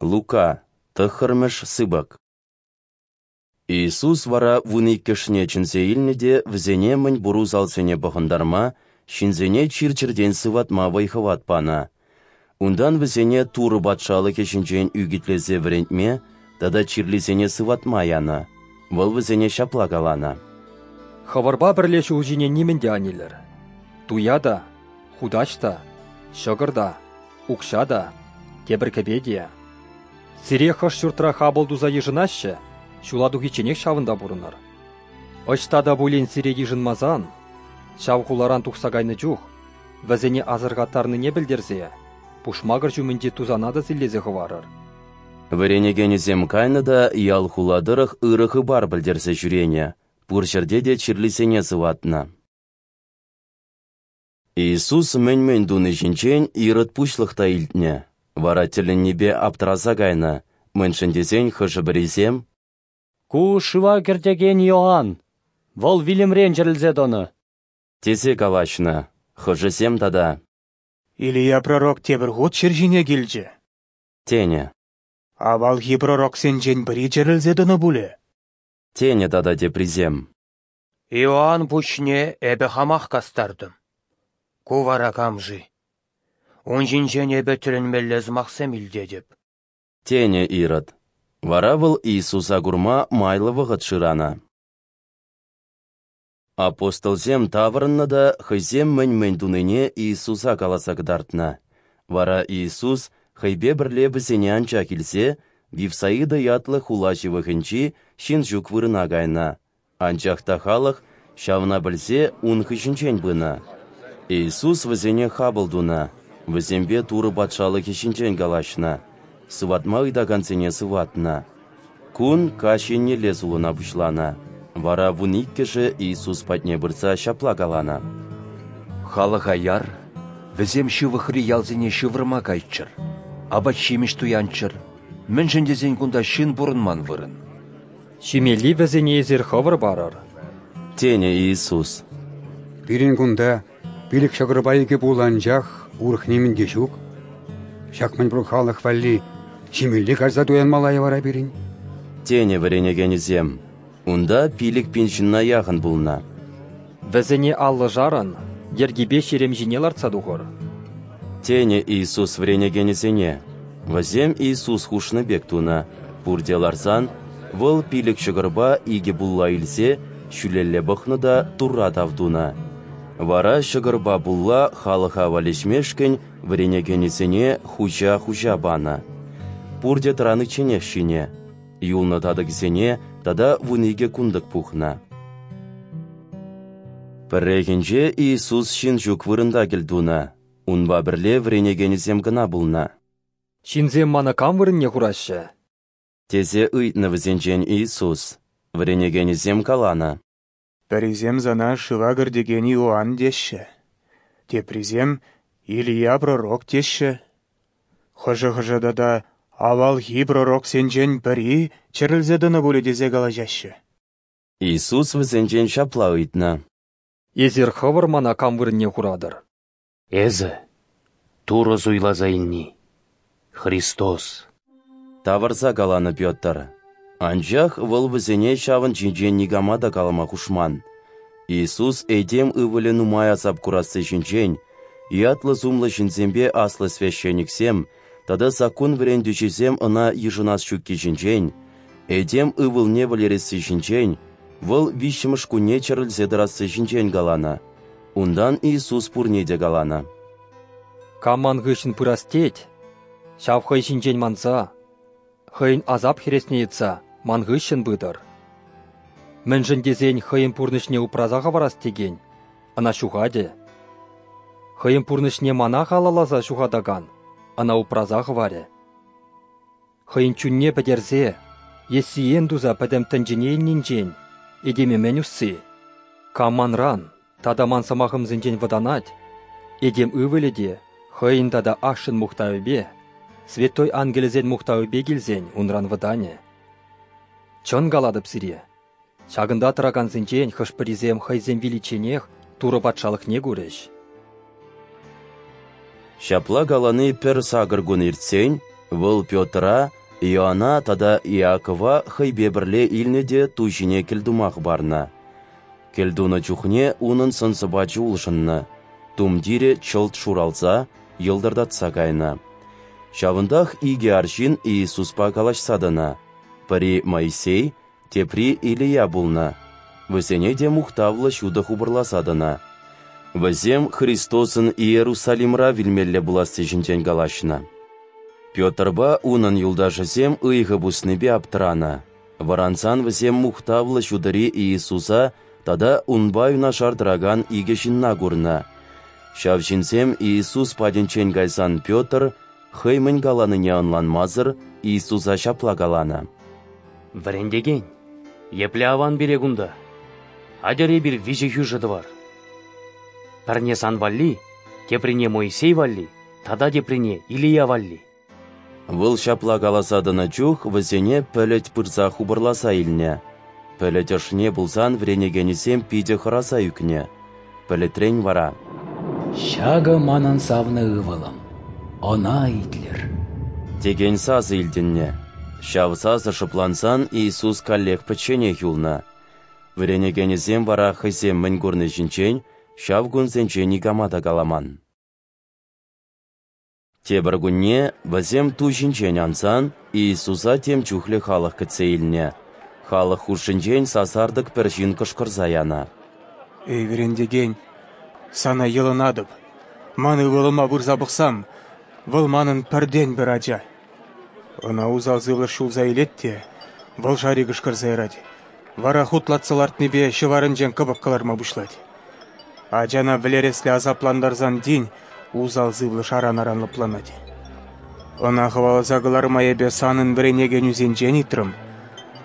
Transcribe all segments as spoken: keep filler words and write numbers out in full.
Лука, тӑххӑрмӗш сыпӑк. Иисус вара вун иккӗшне чӗнсе илнӗ те вӗсене мӗнпур усалсене пӑхӑнтарма, ҫынсене чир-чӗртен сыватма вӑй-хӑват панӑ. Унтан вӗсене Турӑ Патшалӑхӗ ҫинчен ӳкӗтлесе вӗрентме тата чирлисене сыватма янӑ. Вӑл вӗсене ҫапла каланӑ: Хӑвӑрпа пӗрле ҫул ҫине нимӗн те ан илӗр: туя та, хутаҫ та, ҫӑкӑр та, укҫа та, тепӗр кӗпе те. Сире хӑш ҫуртра хапӑл туса йышӑнаҫҫӗ, ҫула тухичченех ҫавӑнта пурӑнӑр. Ӑҫта та пулин сире йышӑнмасан, ҫав хуларан тухса кайнӑ чух, вӗсене асӑрхаттарнине пӗлтерсе, пушмакӑр ҫумӗнчи тусана та силлесе хӑварӑр. Вӗренекенӗсем кайнӑ та ял-хула тӑрӑх ырӑ хыпар пӗлтерсе ҫӳренӗ, пур ҫӗрте те чирлисене сыватнӑ. Иисус мӗн-мӗн туни ҫинчен Ирод пуҫлӑх та илтнӗ, вара тӗлӗннипе аптӑраса кайнӑ, мӗншӗн тесен хӑшӗ-пӗрисем: «Ку шыва кӗртекен Иоанн, вӑл вилӗмрен чӗрӗлсе тӑнӑ», тесе калаҫнӑ. Хӑшӗсем тата: «Илия пророк тепӗр хут ҫӗр ҫине килчӗ», тенӗ. «Авалхи пророксенчен пӗри чӗрӗлсе тӑнӑ пулӗ», тенӗ тата теприсем. Иоанн пуҫне эпӗ хамах кастартӑм. Ку вара кам-ши? Ун ҫинчен эпӗ тӗлӗнмелле сӑмахсем илтетӗп, тенӗ Ирод. Вара вӑл Иисуса курма майлӑ вӑхӑт шыранӑ. Апостолсем таврӑннӑ та хӑйсем мӗн-мӗн тунине Иисуса каласа кӑтартнӑ. Вара Иисус хӑйпе пӗрле вӗсене анчах илсе Вифсаида ятлӑ хула ҫывӑхӗнчи ҫын ҫук вырӑна кайнӑ. Анчах та халӑх, ҫавна пӗлсе, ун хыҫӗнчен пынӑ. Иисус вӗсене хапӑл тунӑ, вӗсемпе Турӑ Патшалӑхӗ ҫинчен калаҫнӑ, сыватма ыйтакансене сыватнӑ. Кун каҫ еннелле сулӑна пуҫланӑ. Вара вун иккӗшӗ Иисус патне пырса ҫапла каланӑ: «Халӑха яр, вӗсем ҫывӑхри ялсене ҫывӑрма кайччӑр, апат-ҫимӗҫ туянччӑр, мӗншӗн тесен кунта ҫын пурӑнман вырӑн». Ҫимелли вӗсене эсир хӑвӑр парӑр, тенӗ Иисус. Пирӗн кунта пилӗк ҫӑкӑрпа икӗ пулӑ анчах, урӑх нимӗн те ҫук. Ҫак мӗнпур халӑх валли ҫимелли кайса туянмалла-и вара пирӗн? Тенӗ вӗренекенӗсем. Унта пилӗк пин ҫынна яхӑн пулнӑ. Вӗсене аллӑшарӑн йӗркипе ҫерем ҫине лартса тухӑр, тенӗ Иисус вӗренекенӗсене. Вӗсем Иисус хушнӑ пек тунӑ. Пурте ларсан, вӑл пилӗк ҫӑкӑрпа икӗ пулла илсе ҫӳлелле пӑхнӑ та Турра тав тунӑ. Вара ҫӑкӑрпа пулла халӑха валеҫмешкӗн вӗренекенӗсене хуҫа-хуҫа панӑ. Пурте тӑраничченех ҫинӗ. Юлнӑ татӑкӗсене тата вун икӗ кунтӑк пухнӑ. Пӗррехинче Иисус ҫын ҫук вырӑнта кӗлтунӑ. Унпа пӗрле вӗренекенӗсем кӑна пулнӑ. Ҫынсем мана кам вырӑнне хураҫҫӗ? Тесе ыйтнӑ вӗсенчен Иисус. Вӗренекенӗсем каланӑ: Пӗрисем сана шыва кӗртекен Иоанн теҫҫӗ, теприсем Илия пророк теҫҫӗ, хӑшӗ-хӑшӗ тата авалхи пророксенчен пӗри чӗрӗлсе тӑнӑ пулӗ тесе калаҫаҫҫӗ. Иисус вӗсенчен ҫапла ыйтнӑ: Эсир хӑвӑр мана кам вырӑнне хуратӑр? Эсӗ Турӑ суйласа илни, Христос, тавӑрса каланӑ Петр. Анчах вӑл вӗсене ҫавӑн ҫинчен никама та калама хушман. Иисус этем ывӑлӗ нумай асап курасси ҫинчен, ятлӑ-сумлӑ ҫынсемпе аслӑ священниксем тата саккун вӗрентӳҫисем ӑна йышӑнас ҫукки ҫинчен, этем ывӑлне вӗлересси ҫинчен, вӑл виҫҫӗмӗш кунне чӗрӗлсе тӑрасси ҫинчен каланӑ. Унтан Иисус пурне те каланӑ: Кам ман хыҫҫӑн пырас тет, ҫав хӑй ҫинчен манса, хӑйӗн асап хӗресне йӑтса ман хыҫҫӑн пытӑр. Мӗншӗн тесен хӑйӗн пурнӑҫне упраса хӑварас текен ӑна ҫухатӗ. Хӑйӗн пурнӑҫне мана халалласа ҫухатакан ӑна упраса хӑварӗ. Хӑйӗн чунне пӗтерсе е сиен туса пӗтӗм тӗнчене илнинчен этеме мӗн усси? Кам манран тата ман сӑмахӑмсенчен вӑтанать, этем ывӑлӗ те хӑйӗн тата ашшӗн мухтавӗпе, святой ангелӗсен мухтавӗпе килсен унран вӑтанӗ. Чӑн калатӑп сире, ҫакӑнта тӑракансенчен хӑш-пӗрисем хӑйсем виличченех Турӑ Патшалӑхне курӗҫ. Ҫапла калани пӗр сакӑр кун иртсен, Вӑл Петра, Иоанна тата Иакова хӑйпе пӗрле илнӗ те ту ҫине кӗлтума хӑпарнӑ. Кӗлтунӑ чухне унӑн сӑн-сӑпачӗ улшӑннӑ, тумтирӗ чӑлт шуралса, йӑлтӑртатса кайнӑ. Ҫавӑнтах икӗ арҫын Иисуспа калаҫса тӑнӑ. Пӗри Моисей, тепри Илия пулнӑ. Вӗсене те мухтавлӑ ҫутӑ хупӑрласа тӑнӑ. Вӗсем Христосӑн Иерусалимра вилмелле пуласси ҫинчен калаҫнӑ. Петрпа унӑн юлташӗсем ыйхӑ пуснипе аптӑранӑ. Вӑрансан вӗсем мухтавлӑ ҫутӑри Иисуса тата унпа юнашар тӑракан икӗ ҫынна курнӑ. Ҫав ҫынсем Иисус патӗнчен кайсан Петр, хӑй мӗн каланине ӑнланмасӑр, Иисуса ҫапла каланӑ: Вӗрентекен, епле аван пире кунта! Атьӑр эпир виҫӗ хӳшӗ тӑвар. Пӗрне сан валли, теприне Моисей валли тата теприне Илия валли. Вӑл ҫапла каласа тӑнӑ чух вӗсене пӗлӗт пырса хупӑрласа илнӗ. Пӗлӗт ӑшне пулсан вӗренекенӗсем питӗ хӑраса ӳкнӗ. Пӗлӗтрен вара: «Ҫакӑ манӑн савнӑ ывӑлӑм, ӑна итлӗр», текен сасӑ илтӗннӗ. Ҫав сасӑ шӑплансан Иисус каллех пӗчченех юлнӑ. Вӗренекенӗсем вара хӑйсем мӗн курни ҫинчен ҫав кунсенче никама та каламан. Тепӗр кунне вӗсем ту ҫинчен ансан Иисуса тем чухлӗ халӑх кӗтсе илнӗ. Халӑх хушшинчен сасартӑк пӗр ҫын кӑшкӑрса янӑ: «Эй, вӗрентекен, сана йӑлӑнатӑп, ман ывӑлӑма пырса пӑхсам, вӑл манӑн пӗртен-пӗр ача. Ӑна усал сывлӑш ҫулса илет те, вӑл шари кӑшкӑрса ярать, вара хутлатса лартнипе ҫӑварӗнчен кӑпӑк кӑларма пуҫлать. Ачана вӗлересле асаплантарсан тин усал сывлӑш аран-аран лӑпланать. Ӑна хӑваласа кӑларма эпӗ санӑн вӗренекенӳсенчен ыйтрӑм,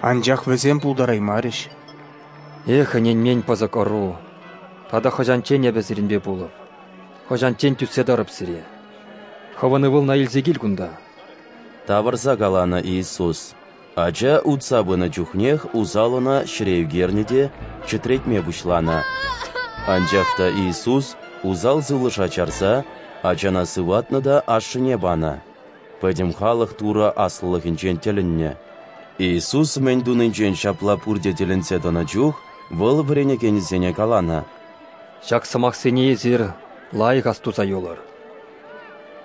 анчах вӗсем пултараймарӗҫ». Эх, ӗненмен пӑсӑк ӑру, тата хӑҫанччен эпӗ сирӗнпе пулӑп, хӑҫанччен тӳссе тӑрӑп сире? Хӑвӑн ывӑлна илсе кил кунта. Тавӑрса каланӑ Иисус. Ача утса пынӑ чухнех усал ӑна ҫӗре ӳкернӗ те чӗтретме пуҫланӑ. Анчах та Иисус усал сывлӑша чарса ачана сыватнӑ та ашшӗне панӑ. Пӗтӗм халӑх Турӑ аслӑлӑхӗнчен тӗлӗннӗ. Иисус мӗн тунинчен ҫапла пурте тӗлӗнсе тӑнӑ чух вӑл вӗренекенӗсене каланӑ: «Ҫак сӑмахсене эсир лайӑх астуса юлӑр.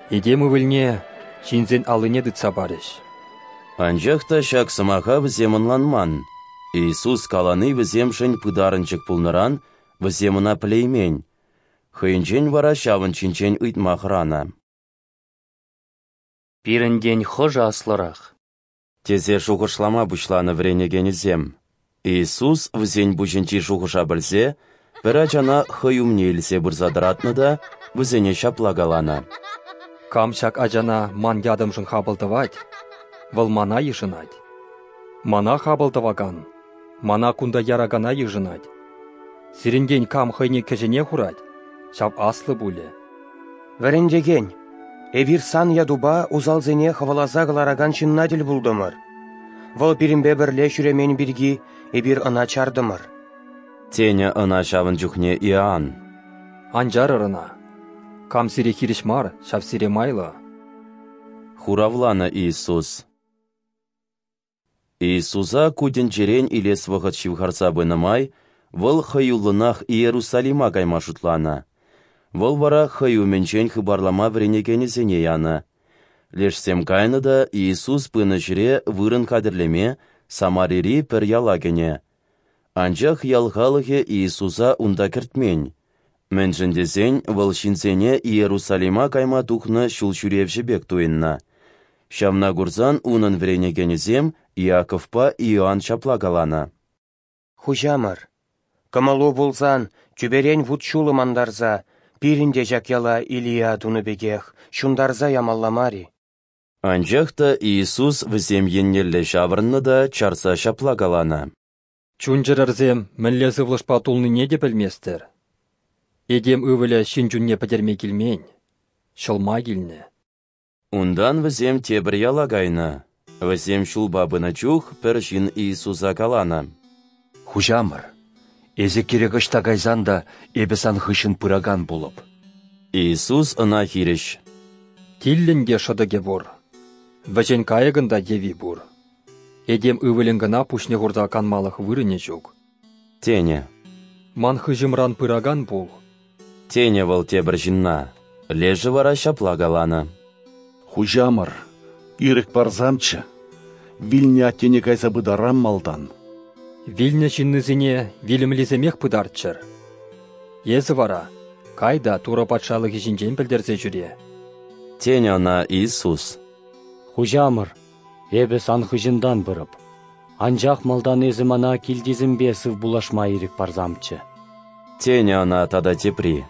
Этем ывӑлне ҫынсен аллине тытса парӗҫ». Анчах та ҫак сӑмаха вӗсем ӑнланман. Иисус калани вӗсемшӗн пытарӑнчӑк пулнӑран вӗсем ӑна пӗлеймен. Хӑйӗнчен вара ҫавӑн ҫинчен ыйтма хӑранӑ. Пирӗнтен хӑшӗ аслӑрах? Тесе шухӑшлама пуҫланӑ вӗренекенӗсем. Иисус вӗсен пуҫӗнчи шухӑша пӗлсе пӗр ачана хӑй умне илсе пырса тӑратнӑ та вӗсене ҫапла каланӑ: «Кам ҫак ачана ман ятӑмшӑн хапӑл тӑвать, вӑл мана йышӑнать. Мана хапӑл тӑвакан, мана кунта яракана йышӑнать. Сирӗнтен кам хӑйне кӗҫӗне хурать, ҫав аслӑ пулӗ». Вӗрентекен, эпир сан ятупа усалсене хӑваласа кӑларакан ҫынна тӗл пултӑмӑр. Вӑл пирӗнпе пӗрле ҫӳремен пирки эпир ӑна чартӑмӑр. Тенӗ ӑна ҫавӑн чухне Иоанн. Ан чарӑр ӑна. Кам сире хирӗҫ мар, ҫав сире майлӑ. Хуравланӑ Иисус. Иисуса ку тӗнчерен илес вӑхӑт ҫывхарса пынӑ май вӑл хӑюллӑнах Иерусалима кайма шутланӑ. Вӑл вара хӑй умӗнчен хыпарлама вӗренекенӗсене янӑ. Лешсем кайнӑ та Иисус пынӑ ҫӗре вырӑн хатӗрлеме Самарири пӗр яла кӗнӗ. Анчах ял халӑхӗ Иисуса унта кӗртмен. Мӗншӗн тесен вӑл ҫынсене Иерусалима кайма тухнӑ ҫул ҫӳревҫӗ пек туйӑннӑ. Ҫавна курсан унӑн вӗренекенӗсем Иаковпа Иоанн ҫапла каланӑ: «Хуҫамӑр, кӑмӑлу пулсан тӳперен вут-ҫулӑм антарса пирӗн те ҫак яла Илия тунӑ пекех ҫунтарса ямалла мар-и?» Анчах та Иисус вӗсем еннелле ҫаврӑннӑ та чарса ҫапла каланӑ: «Чун-чӗрӗрсем мӗнле сывлӑшпа тулнине те пӗлместӗр. Этем ывӑлӗ ҫын чунне пӗтерме килмен, ҫӑлма килнӗ». Унтан вӗсем тепӗр яла кайнӑ. Вӗсем ҫулпа пынӑ чух пӗр ҫын Иисуса каланӑ: «Хуҫамӑр, эсӗ кирек ӑҫта кайсан та эпӗ сан хыҫҫӑн пыракан пулӑп». Иисус ӑна хирӗҫ: «Тиллӗн те шӑтӑкӗ пур, Вӗҫен кайӑкӑн та йӑви пур. Этем Ывӑлӗн кӑна пуҫне хурса канмалӑх вырӑнӗ ҫук. Тенӗ. Ман хыҫӑмран пыракан пул. Тенӗ вӑл тепӗр ҫынна. Лешӗ вара ҫапла каланӑ: Хуҫамӑр, ирӗк парсамччӗ, вилнӗ аттене кайса пытарам малтан. Вилнӗ ҫыннисене вилӗмлисемех пытарччӑр. Эсӗ вара кай та Турӑ Патшалӑхӗ ҫинчен пӗлтерсе ҫӳре. Тенӗ ӑна Иисус. Хуҫамӑр, эпӗ сан хыҫӑнтан пырӑп. Анчах малтан эсӗ мана килтисемпе сывпуллашма ирӗк парсамччӗ. Тенӗ ӑна тата тепри.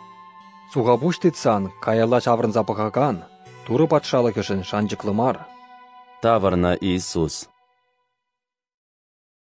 Сухапуҫ тытсан каялла ҫаврӑнса пӑхакан Турӑ Патшалӑхӗшӗн шанчӑклӑ мар. Тавӑрнӑ Иисус.